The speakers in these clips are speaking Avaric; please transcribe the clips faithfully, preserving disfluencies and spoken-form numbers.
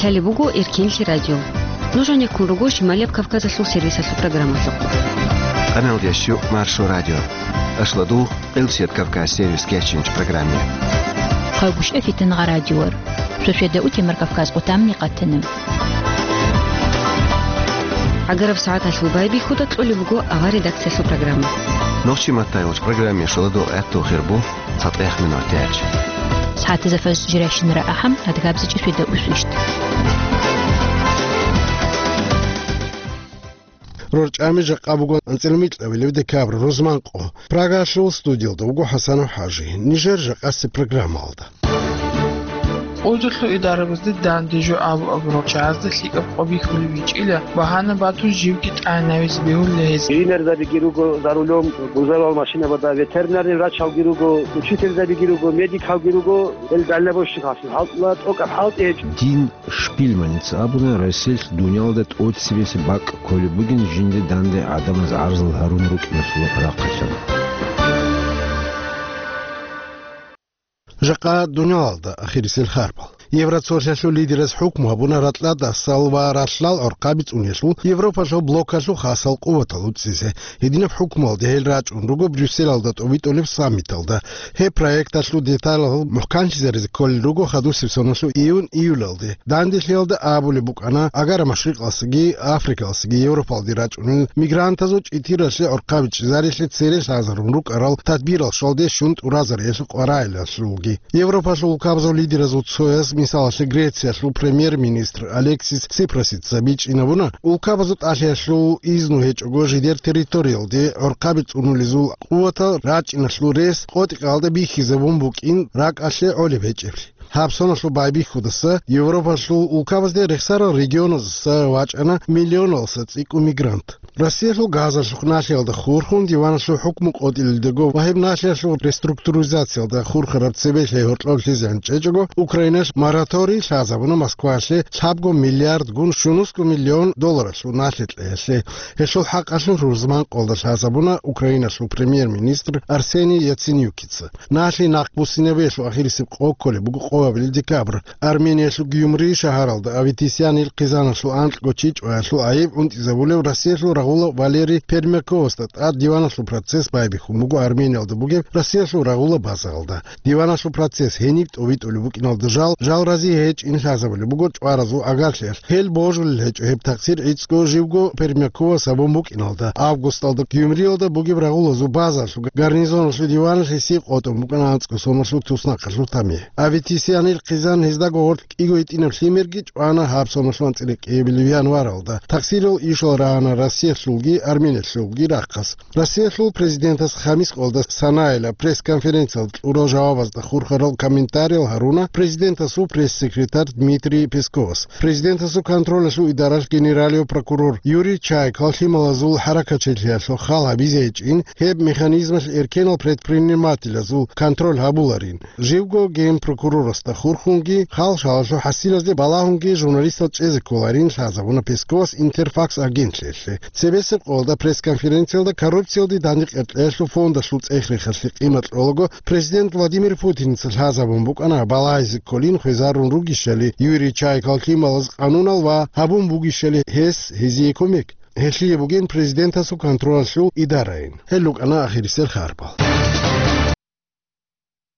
Лъалеб буго Эркенлъи радио. Нуж гьанеккун руго Шималияб Кавказалъул сервисалъул программалъухъ. Къаналдеш щу Маршо радио. Ашладу Къилсият Кавказ сервис кечинч программе. Хъагушев Фитангъа радиор. Шошеда утемар Кавказ къутамни къатанам. Агараб сагӀаталъул байбихьуда кьолеб буго авар редакциялъул программа. Нохчи Маттайолч программе шоладо гӀатту хирбу. ЦатӀех минутач. СагӀатазда фажр жирайщинара ахӀам, адгабзичӀи шведа усвищ. РорчӀами жакъа буго анцӀила микьабилев декабрь рузман къо. Прагалъул студиялда вуго ХӀасанов ХӀажи. Нижер жакъаси программалда. Къудалъул идарабазде данде жо абу-абурал чагӀазда лъикӀаб къо бихьулеб гьечӀила, багьана батун живги тӀагӀинавизе бегьулила гьез. Тренерзабиги руго за рулем, гузарал машинабада, ветеринарный врачалги руго, учительзабиги руго, медикалги руго, гьел дальнобойщикалъул хӀалтӀула тӀокӀаб хӀалтӀи гьечӀо. Дин Шпильманица абуна, Россиялъ дуниялда тӀоцебесеб бакӀ кколеб бугин жинда данде гӀадамаз гӀарзал гьарун рукӀиналъулаб рахъалъан. Жакъа дуниялалда ахирисел харбал. Евроцолъалъул лидераз хӀукму гьабуна ракьалдасал ва ралъдал гӀорхъаби цӀуниялъул Европалъул блокалъул хасал къуватал уцӀизе. Гьединаб хӀукмуялде гьел рачӀун руго Брюсселалда тӀобитӀулеб саммиталда. Гьеб проекталъул деталал мухӀканлъизаризе кколел руго хадусеб соналъул июнь-июлалде. Данделъиялда абулеб букӀана, Агара Машрикъалсаги Африкалсаги Европалде рачӀунел мигрантазул чӀитиралъе гӀорхъаби чӀезарилъе цере лъазарун рукӀарал тадбирал щвалде щун тӀуразариялъул къваригӀелалъулги. Европалъул улкабазул лидеразул цояс, мисалалъе, Грециялъул премьер-министр Алексис Сипрасица бичӀчӀинабуна, улкабазул тӀалъиялъул изну гьечӀого жидер территориялде гӀорхъаби цӀунулезул къуватал рачӀиналъул рес къотӀи-къалда бихьизабун букӀин ракӀалъе гӀолеб гьечӀеблъи. Гьаб соналъул байбихьудаса Европалъул улкабазде рехсарал регионаздаса вачӀана миллионалдаса цӀикӀкӀун мигрант. Россиялъул газалъухъ налъиялда хурхун диваналъул хӀукму къотӀилелдаго ва гьеб налъиялъул реструктуризациялда хурхараб цебе лъай гьоркьоб лъезегӀан чӀечӀого, Украиналъ мораторий лъазабуна Москвалъе лъабго миллиардгун щунусго миллион долларалъул налъи кьеялъе. Гьелъул хӀакъалъулъ рузман къолда лъазабуна Украиналъул премьер-министр Арсений Яценюкица. Налъи нахъбуссинабиялъул ахирисеб къо кколеб буго къоабилеб декабрь. Армениялъул Гюмри шагьаралда Аветисян Илкъизаналъул анкьго чи чӀваялъул гӀайиб гӀунтӀизабулев Россиялъул рагъула Валерий Пермяковасда тӀад диваналъул процесс байбихьун буго Армениялда бугеб Россиялъул рагъула базаялда. Диваналъул процесс гьениб тӀобитӀулеб букӀиналда жал, жал рази гьечӀин лъазабулеб буго чӀваразул агарлъиялъ. Гьел божулел гьечӀо гьеб такъсир гӀицӀго живго Пермяковас гьабун букӀиналда. Августалда Гюмриялда бугеб рагъулазул базалъул гарнизоналъул диваналъ гьесие къотӀун букӀана анцӀго соналъул туснахъалъул тамихӀ. Аветисян Илкъизан гьездаго гъорлъ кӀиго гьитӀинаб лъимерги чӀвана гьаб соналъул анцӀила кӀиабилеб январалда. Такъсирал ишал рагьана Россиялъулги Армениялъулги рахъалъ. Россиялъул президентас хамис къолда Санаялъ пресс-конференциялда кьурал жавабазда хурхарал комментариял гьаруна президентасул пресс-секретарь Дмитрий Песковас. Президентасул контролалъул идаралъ генералияб прокурор Юрий Чайкал лъималазул хӀаракатчилъиялъул хал гьабизе гьечӀин, гьеб механизмалъ эркенал предпринимателазул контроль гьабуларин. Живго генпрокурорасда хурхунги, хал-шалалъул хӀасилазде балагьунги журналистал чӀезе кколарин лъазабуна Песковас Интерфакс агентлъиялъе. Цебесеб къолда пресс-конференциялда коррупциялде дандекъеркьеялъул фондалъул цӀех-рехалъе къимат кьолаго президент Владимир Путинца лъазабун букӀана балагьизе кколин хвезарун ругищали Юрий Чайкал лъималаз къанунал ва гьабун бугищали гьес гьезие кумек. Гьелъие бугин президентасул контролалъул идараин. Гьел рукӀана ахирисел харбал.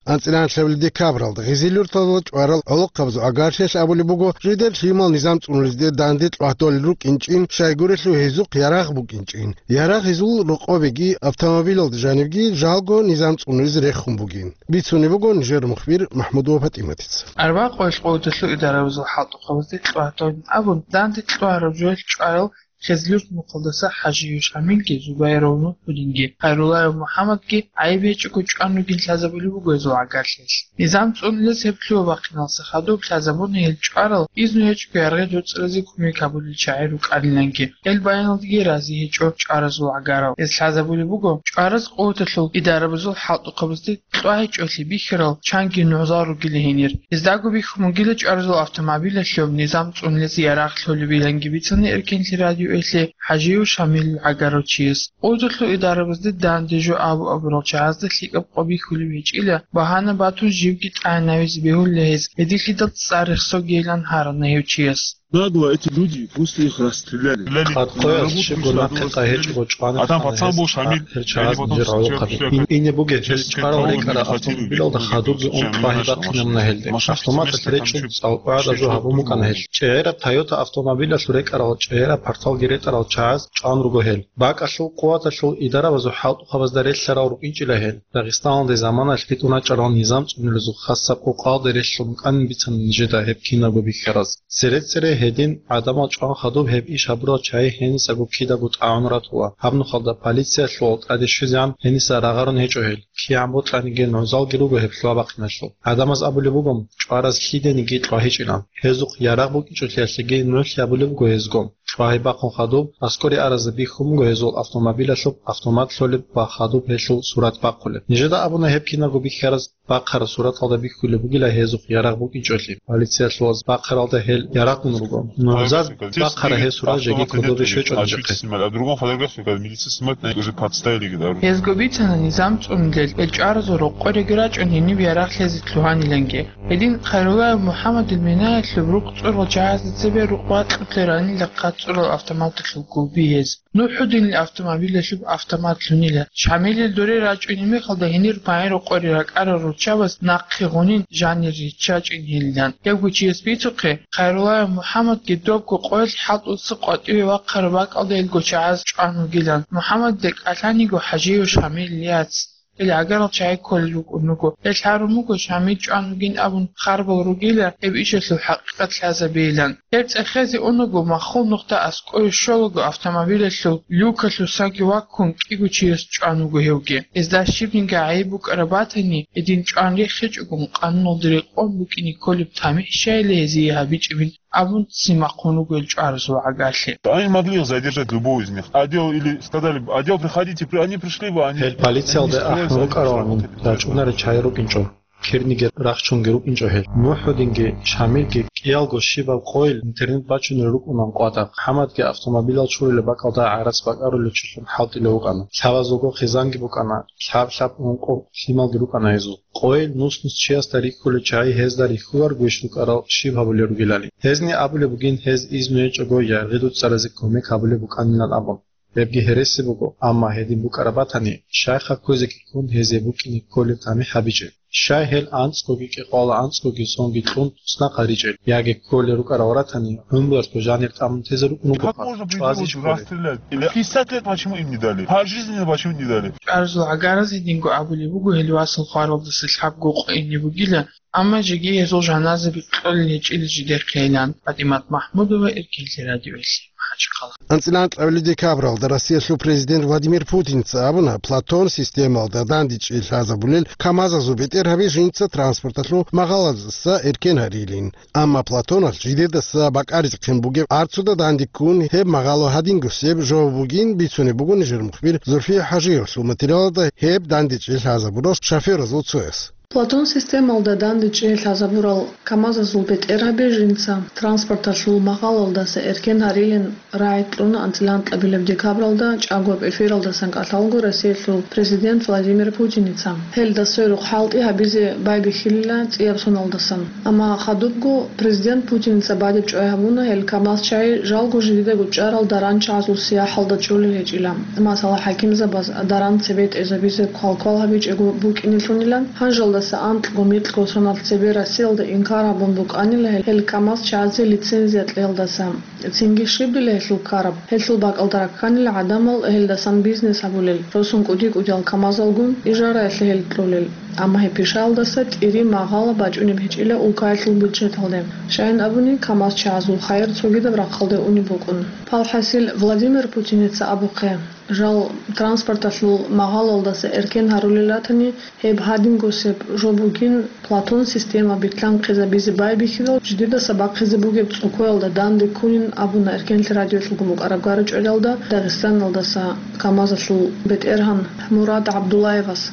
АнцӀила анлъабилеб декабралда гъизил-юрталда чӀварал гӀолохъабазул агарлъиялъ абулеб буго, жидер лъимал низам цӀунулезде данде кьватӀолел рукӀинчӀин, щайгурелъул гьезухъ ярагъ букӀинчӀин. Ярагъ гьезул рокъобеги автомобилалда жанибги жалго низам цӀунулез рехун бугин. Бицунеб буго нижер мухбир МахӀмудова ПатӀиматица. Арбакъоялъ къоялъул идарабазул хӀалтӀухъабазде кьватӀолин абун, данде кьвараб жоялъ чӀварал Хезлъур мухъалдаса ХӀажиев Шамилги, Зубайров Нурхудинги, Хайруллаев МухӀаммадги гӀайиб гьечӀого чӀван ругин лъазабулеб буго гьезул гӀагарлъиялъ. Низам цӀунулез гьеб лъугьа-бахъиналдаса хадуб лъазабуна гьел чӀварал, изну гьечӀого яргъи доцӀразе кумек гьабулел чагӀи рукӀаниланги. Гьел баяналдеги рази гьечӀо чӀваразул гӀагарал. Гьез лъазабулеб буго чӀвараз къуваталъул идарабазул хӀалтӀухъабазде кьва гьечӀолъи бихьарал чанги нугӀзал ругила гьенир. Гьездаго бихьун бугила чӀваразул автомобилалъул низам цӀунулез ярагъ лъолебиланги бицана Эркенлъи радио кьвелъи ХӀажиев Шамилил гӀагарав чияс. Къудалъул идарабазде данде жо абу-абурал чагӀазда лъикӀаб къо бихьулеб гьечӀила, багьана батун живги тӀагӀинавизе бегьулила гьез, гьединлъидал цӀар рехсогейилан гьарана гьев чияс. Нагло эти люди, просто их расстреляли. Къад къоялъ щибго нахъе къагьечӀого чӀван хана гьез, ахир чагӀаз нижер гӀолохъаби. Ине бугеб гьез чӀварал рекӀараб автомобилалда хадубги ун тӀвагьи бахъинабуна гьелде. Автоматалъ речӀчӀун цӀалкӀвараб жо гьабун букӀана гьел. ЧӀегӀераб Тойота автомобилалъул рекӀарал чӀегӀераб парталги ретӀарал чагӀаз чӀван руго гьел. БакӀалъул къуваталъул идарабазул хӀалтӀухъабазда релълъарал рукӀинчӀила гьел. Дагъистаналде заманалъ ритӀун рачӀарал низам цӀунулезул хасаб къокъалде релълъун букӀанин бицана нижеда гьеб кинабго бихьараз. Цере-цере гьедин гӀадамал чӀван хадуб гьеб иш гьабурал чагӀи гьенисаго кидаго тӀагӀун ратула. Гьаб нухалда полициялъул тӀаде щвезегӀан гьениса рагъарун гьечӀо гьел. КигӀан бокьаниги нугӀзалги руго гьеб лъугьа-бахъиналъул. ГӀадамаз абулеб буго, чӀвараз лъидениги тӀвагьичӀилан. Гьезухъ ярагъ букӀинчӀолъиялъеги нугӀлъи абулеб буго гьезго. ТӀвагьи бахъун хадуб, аскӀоре аразда бихьун буго гьезул автомобилалъуб автомат лъолеб ва хадуб гьелъул сурат бахъулеб. Нижеда абуна гьеб кинабго бихьараз бахъараб сураталда бихьулеб бугила гьезухъ ярагъ букӀинчӀолъи. Полициялъулаз бахъаралда гьел ярагъун руго. НугӀзал бахъараб гьел сурат жеги кодобе щвечӀо нижехъе. А другом фотографии, как милиция снимает, на уже подставили, говорю. Гьезго бицана низам цӀунулел, гьел чӀваразул рокъореги рачӀун гьениб ярагълъизе лъугьаниланги. Гьедин Хайруллаев МухӀаммадил минаялъул рукъ цӀурал чагӀазда цебе рукъ вакьулъе ранила хъат цӀурал автоматалъул гулби гьез. НухӀудинил автомобилалъуб автомат лъунила. Шамилил доре рачӀунеб мехалда гьенир магӀарул къоре ракӀарал руччабаз нахъе гъунин жанир риччачӀин гьелилан. Гьебго чияс бицухъе, Хайруллаев МухӀаммадги добго къоялъ хӀалтӀуца къватӀиве вахъараб бакӀалда илго чагӀаз чӀван вугилан. МухӀаммадида кӀалъаниго ХӀажиев Шамилил яц. Ил гӀагарал чагӀи кколел рукӀун руго. Гьел гьарун буго Шамил чӀван вугин абун харбал ругила, гьеб ишалъул хӀакъикъат лъазабейилан. Гьеб цӀехезе унаго, маххул нухда аскӀове щолаго автомобилалъул люкалъусаги ваккун кӀиго чияс чӀван вуго гьевги. Гьезда щибниги гӀайиб букӀараб батани, гьедин чӀван рехичӀогун, къануналда рекъон букӀине кколеб тамихӀ щайила гьезие гьабичӀебин абун ццин бахъун руго гьел чӀваразул гӀагарлъи. Они могли их задержать, любого из них. Отдел или сказали бы, «Отдел, приходите», при-, они пришли бы, они... Гьел полициялде ахӀун рукӀаравани, рачӀунаре чагӀи рукӀинчӀо. Кирниги рахчунги рукӀинчӀо гьел. МухӀудинги Шамилги кӀиялго щибаб къойил интернет бачунел рукӀунан къватӀа. МухӀаммадги автомобилал чурулеб бакӀалда гӀарац бакӀарулев чилъун хӀалтӀулев вукӀана. Лъабазулго хъизанги букӀана, лъаб-лъаб ункъо лъималги рукӀана гьезул. Къойил нус-нус чиясда рихьулел чагӀи гьезда рихьуларго иш рукӀарал щиб гьабулел ругелали. Гьезни абулеб бугин, гьез изну гьечӀого яргъи дуцӀцӀаразе кумек гьабулеб букӀанилан абун. Гьебги гьереси буго, амма гьедин букӀараб батани, щайха кквезе ккун гьезие букӀине кколеб тамихӀ гьабичӀеб. Щай гьел анцӀгоги кӀикъоялда анцӀгоги сонги кьун туснахъ гьаричӀел, яги кколел рукӀарал ратани, гӀумруялъго жанир тӀамун тезе рукӀун бугоха, чӀвазе чӀолел. Пятьдесят лет почему им не дали? Пожизненно почему не дали? ЧӀваразул гӀагаразе динго абулеб буго, гьел васал хваралдаса лъабго къо ине бугила, амма жеги гьезул жаназаби кьолел гьечӀила жидехъейилан. ПатӀимат МахӀмудова, Эркенлъи радиоялъе, МахӀачхъала. АнцӀила анкьабилеб декабралда Россиялъул президент Владимир Путинца абуна, Платон системалда дандечӀей лъазабулел КамАЗазул бетӀергьаби жинца транспорталъул магъалаздаса эркен гьарилин. Амма Платоналъ жидедаса бакӀаризехъин бугеб арцуда данде ккун гьеб магъало гьадингосеб жо бугин бицунеб буго нижер мухбир Зульфия ХӀажиевалъул материалалда гьеб дандечӀей лъазабурал шофёразул цояс. Платон системалда дандечӀей лъазабурал КамАЗазул бетӀергьаби жинца транспорталъул магъалалдаса эркен гьарилин рагӀи кьуна анцӀила анкьабилеб декабралда чӀагояб эфиралдасан кӀалъалго Россиялъул президент Владимир Путиница. Гьелда сверухъ хӀалтӀи гьабизе байбихьилила цӀияб соналдасан. Амма хадубго президент Путиница бадиб чӀвай гьабуна гьел КамАЗ чагӀи жалго жидедаго чӀарал даранчагӀазул сияхӀалда чӀолел гьечӀила. Масала, хӀакимзабаз даран цебетӀезабизе квалквал гьабичӀого букӀинелъунилан, гьанжалдаса анкьго-микьго соналъ цебе Россиялда инкар гьабун букӀанила гьел КамАЗ чагӀазе лицензия кьеялдаса. Цинги щибила гьелъул ккараб? Гьелъул бакӀалда ракканила гӀадамал гьелдасан бизнес гьабулел, росун кӀуди-кӀудиял КамАЗалгун ижараялъе гьел кьолел. Амма гьеб пишаялдаса тӀири магъала бачӀунеб гьечӀила улкаялъул бюджеталде. Щайин абуни, КамАЗ чагӀазул хайир цогидаб рахъалде унеб букӀун. Палхасил Владимир Путиница абухъе, жал транспорталъул магъалалдаса эркен гьарулел ратани, гьеб гьадингосеб жо бугин, Платон система битлъанхъизабизе байбихьидал, жидедаса бахъизе бугеб цӀукоялда данде ккунин абуна Эркенлъи радиоялъулгун букӀараб гара-чӀвариялда Дагъистаналдаса КамАЗалъул бетӀергьан Мурад ГӀабдуллаевас.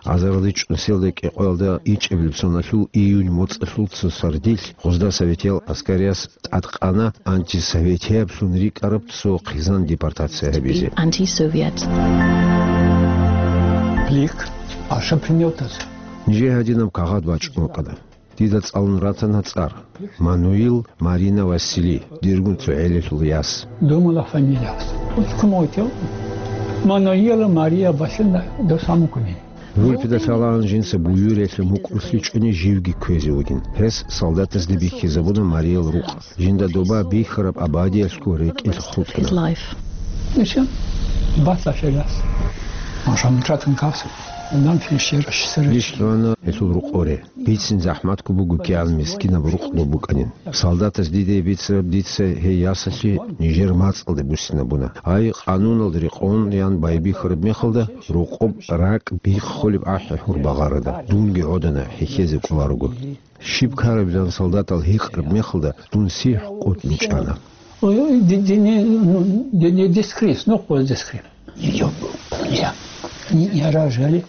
Азаралде чӀунсиялда кӀикъоялда ичӀабилеб соналъул июнь моцӀалъул цо сардилъ гъозда советиял аскарияс тӀадкъана антисоветияблъун рикӀкӀараб цо хъизан депортация гьабизе. Anti-Soviet. Blick, а что принёс? Нижее гьадинаб кагъат бачӀун вукӀана. Дида цӀалун ратана цӀар: Мануил Марина Васили, диргун цо гӀелалъул яс. Думала фамилия. Уткун отел. Мануила Мария Васильевна до самого. Вулпида лъалаан жинца буюриялъе мукӀурлъичӀони живги кквезе вугин. Гьес солдатазде бихьизабуна Мариял рукъ. Жинда доба бихьараб абадиялъго рекӀелъ хутӀана. Ничего. Батла фигас. Машан тратан кавса. Нам финшер шсер. Иш лъугьана гьелъул рукъоре. Бицин захӀматго буго кигӀан мискинаб рукъ доб букӀанин. Солдатас диде бицараб дица гьей ясалъе нижер мацӀалде буссинабуна. Гьай, къануналда рекъон, ян байбихьараб мехалда, рокъоб ракӀ биххулеб ахӀи гьур багъарада, дунги гӀодана, хӀехьезе кӀоларого. Щиб ккарабилан солдатал гьикъараб мехалда, дун сихӀ къотӀун чӀана. Ой, ой, де, де не, ну, де не дискрис, ну, квоз дискрис. Я, я, я рожали.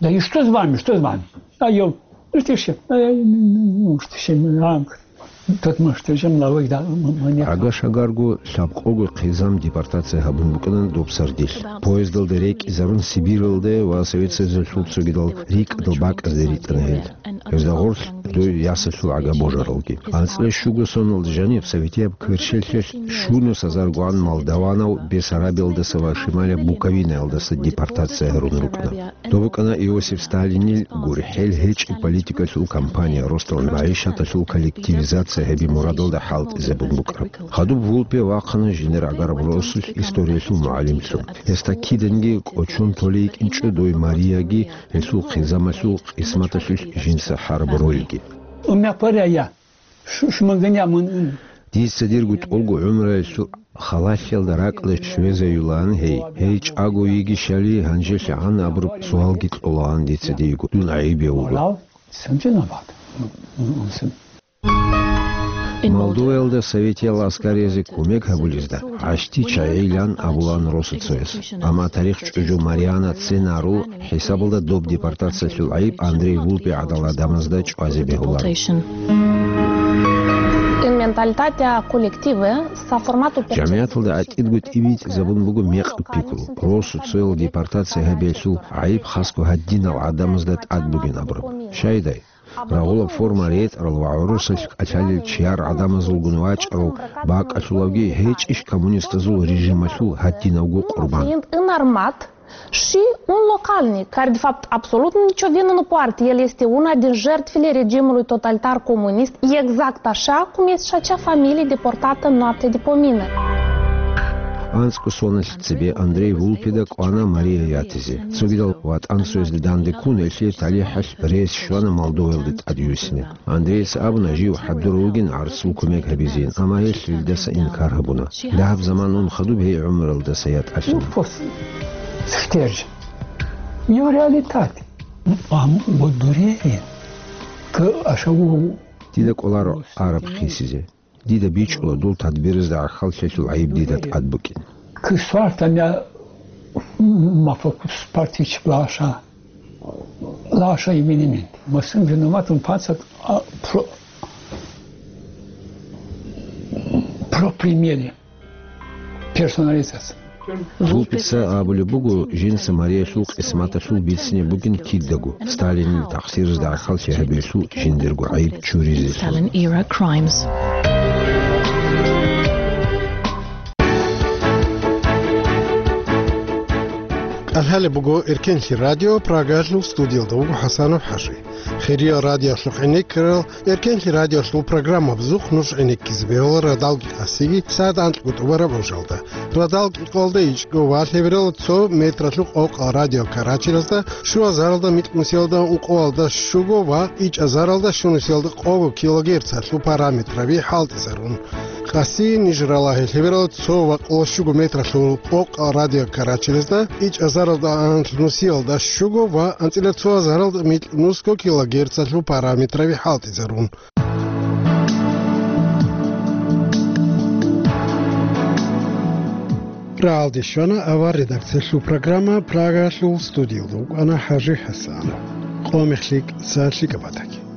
Да и что с вами, что с вами? А я, ну, ты что, а я, ну, ну, ну, что с вами, а, тот, может, ты же млавой, да, м-, м-, мне. Гьагар-шагарго лъабкъого хъизан депортация гьабун букӀана доб сардилъ. Поездалда рекӀизарун Сибиралде ва Совет Союзалъул цогидал рикӀкӀадал бакӀазде ритӀана гьел. Гьезда гъорлъ дой ясалъул гӀага божаралги. АнцӀила щуго соналда жаниб советияб кверщелъелъ щунус азаргогӀан молдаванав Бессарабиялдаса ва Шималияб Буковинаялдаса депортация гьарун рукӀана. Доб букӀана Иосиф Сталинил гурхӀел гьечӀеб политикалъул кампания, росдал магӀишаталъул коллективизация гьебе мурадалда хӀалтӀизабун букӀараб. Хадуб Вулпе вахъана жинер гӀагараб росулъ историялъул мугӀалимлъун. Гьесда киданги кӀочон толей йикӀинчӀо дой Марияги гьелъул хъизамалъул къисматалъулъ жинца хӀараб ролги. Умяпарая, шу-, шумагания мун ун. Дица дирго тӀолго гӀумруялъул халалъиялда ракӀалде щвезаюлаан гьей. Гьей чӀаго йигищали, гьанжелъагӀан абураб суалги кьолаан дица диего, дун гӀайибе вуго. Валав, сам виноват. М, м, м, сам. Молдоваялда советиял аскариязде кумек гьабулезда гӀащтӀи чагӀилан абулаан росуцояс. Амма тарих чӀужу Мариана Ценару хӀисабалда доб депортациялъул гӀайиб Андрей Вулпе гӀадал гӀадамазда чӀвазе бегьуларо. In mentalitatea colectivă s-a format o percepție. ЖамигӀаталда гӀатӀидго тӀибитӀизабун буго мекъаб пикру, росуцоял депортация гьабиялъул гӀайиб хасго гьадинал гӀадамазда тӀад бугин абураб. Щайдай? Рагъулаб форма ретӀарал ва гӀурусалъ кӀалъалел чияр гӀадамазулгун вачӀарал бакӀалъулавги гьечӀищ коммунистазул режималъул гьадинавго къурбан? Sunt înarmat și un localnic, care, de fapt, absolut nicio vină nu poartă. El este una din jertfele regimului totalitar comunist, exact așa cum este și acea familie deportată în noaptea de pomină. АнцӀго соналъ цебе Андрей Вулпеда кӀвана Мария ятизе. Цогидал ВатӀан цоязде данде ккун, гьелъие талихӀалъ рес щвана Молдоваялде тӀадвуссине. Андрейица абуна, жив хӀадурав вугин гӀарцул кумек гьабизейин, амма гьелъ гьелдаса инкар гьабуна. Дагьаб заман ун хадуб гьей гӀумралдаса ятӀалъана. Ну, фос-, схтер. Йо реалитет. Ам, бо дуре. К-, ашаву. Дида кӀоларо араб хисизе. Дида бичӀчӀула дол тадбиразда гӀахьаллъиялъул гӀайиб дида тӀад букӀин. Кысвартамя мафокус партич лаша, лаша именимен. Масин виноватым пацак, а, про, про примере. Персонализация. Вулпеца абулеб буго, жинца Мариялъул къисматалъул бицине бугин кидаго, Сталинил тахсиразда гӀахьаллъи гьабиялъул жиндирго гӀайиб чуризе. Stalin era crimes. КӀалъалеб буго Эркенлъи радио, Прагалъул студиялда вуго ХӀасанов ХӀажи. Хириял радиолъухъ гӀенеккарал Эркенлъи радиолъул программабазухъ нуж гӀенеккизе бегьула радал кьикъасиги сагӀат анкьго тӀубараб ужалда. Радал кьикъалда ичӀго ва лъеберал цо метралъухъ къокъал радиокарачелазда щуазаралда микьнусиялда ункъоялда щуго ва ичӀазаралда щунусиялда къого килогерцалъул параметраби хӀалтӀизарун. Къаси ниж ралагье лъеберал цо ва къоло щуго метралъул къокъал радиокарачелазда ичӀазаралда анлънусиялда щуго ва анцӀила цоазаралда микьнусго килогерцалъул параметраби хӀалтӀизарун. Рагьалде щвана авар редакциялъул программа, Прагаялъул студиялда вукӀана ХӀажи ХӀасан. Къо мехлъи кӀиса лъикӀаб батаги.